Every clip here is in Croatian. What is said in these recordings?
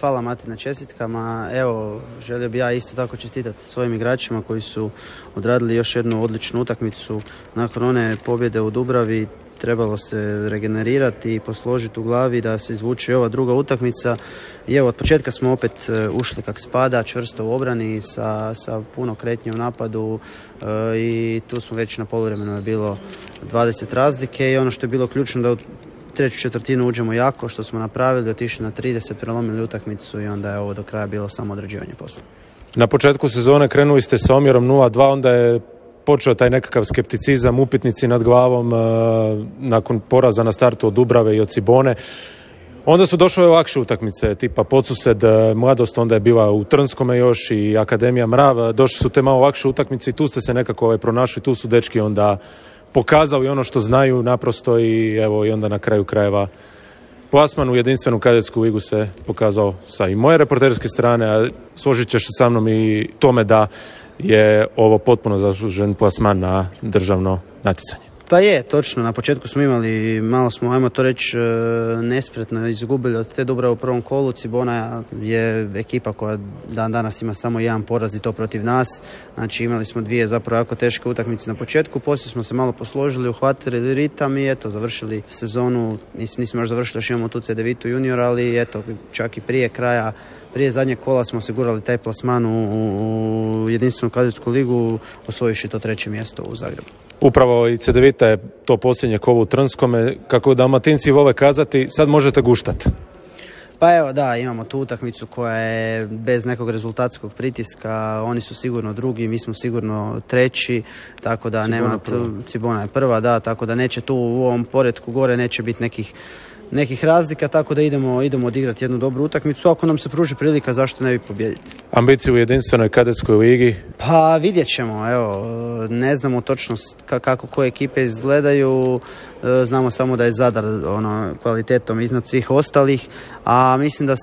Hvala Mati na čestitkama. Evo, želio bi ja isto tako čestitati svojim igračima koji su odradili još jednu odličnu utakmicu. Nakon one pobjede u Dubravi trebalo se regenerirati i posložiti u glavi da se izvuče i ova druga utakmica. I evo, od početka smo opet ušli kak spada, čvrsto u obrani sa puno kretnje u napadu i tu smo već na poluvremenu je bilo 20 razlike i ono što je bilo ključno da u treću četvrtinu uđemo jako, što smo napravili, otišli na 30, prelomili utakmicu i onda je ovo do kraja bilo samo odrađivanje posla. Na početku sezone krenuli ste sa omjerom 0-2, onda je počeo taj nekakav skepticizam, upitnici nad glavom nakon poraza na startu od Dubrave i od Cibone. Onda su došle lakše utakmice, tipa Podsused, Mladost, onda je bila u Trnskome još i Akademija Mrav. Došli su te malo lakše utakmice i tu ste se nekako pronašli, tu su dečki onda pokazali ono što znaju naprosto i evo i onda na kraju krajeva plasman u jedinstvenu kadetsku ligu se pokazao sa i moje reporterske strane, a složit ćeš se sa mnom i tome da je ovo potpuno zaslužen plasman na državno natjecanje. Pa je, točno. Na početku smo imali, malo smo, ajmo to reći, nespretno izgubili od te Dubrave u prvom kolu. Cibona je ekipa koja dan danas ima samo jedan poraz i to protiv nas. Znači imali smo dvije zapravo jako teške utakmice na početku. Poslije smo se malo posložili, uhvatili ritam i eto, završili sezonu. Nismo još završili, još imamo tu C9 junior, ali eto, čak i prije zadnjeg kola smo osigurali taj plasman u jedinstvenu kadetsku ligu, osvojiši to 3. mjesto u Zagrebu. Upravo i C9 je to posljednje kolo u Trnskome. Kako Dalmatinci vole kazati, sad možete guštati. Pa evo da, imamo tu utakmicu koja je bez nekog rezultatskog pritiska, oni su sigurno drugi, mi smo sigurno treći, tako da Cibona je prva, da, tako da neće tu u ovom poretku gore neće biti nekih razlika, tako da idemo odigrati jednu dobru utakmicu. Ako nam se pruži prilika, zašto ne bi pobijediti? Ambicije u jedinstvenoj kadetskoj ligi? Pa vidjet ćemo, evo, ne znamo točno kako koje ekipe izgledaju, znamo samo da je Zadar kvalitetom iznad svih ostalih, a mislim da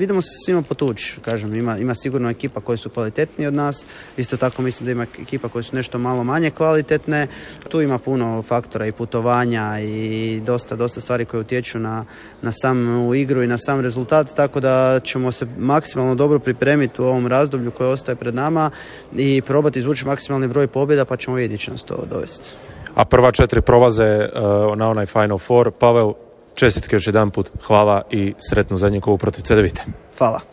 idemo se svima potući, kažem, ima sigurno ekipa koje su kvalitetnije od nas, isto tako mislim da ima ekipa koje su nešto malo manje kvalitetne, tu ima puno faktora i putovanja i dosta stvari koje utječu na samu igru i na sam rezultat, tako da ćemo se maksimalno dobro pripremiti u ovom razdoblju koje ostaje pred nama i probati izvući maksimalni broj pobjeda, pa ćemo vidjeti će nas to dovesti. A prva 4 prolaze na onaj Final Four. Pavel, čestitke još jedan put, hvala i sretnu zadnju kolu protiv C9. Hvala.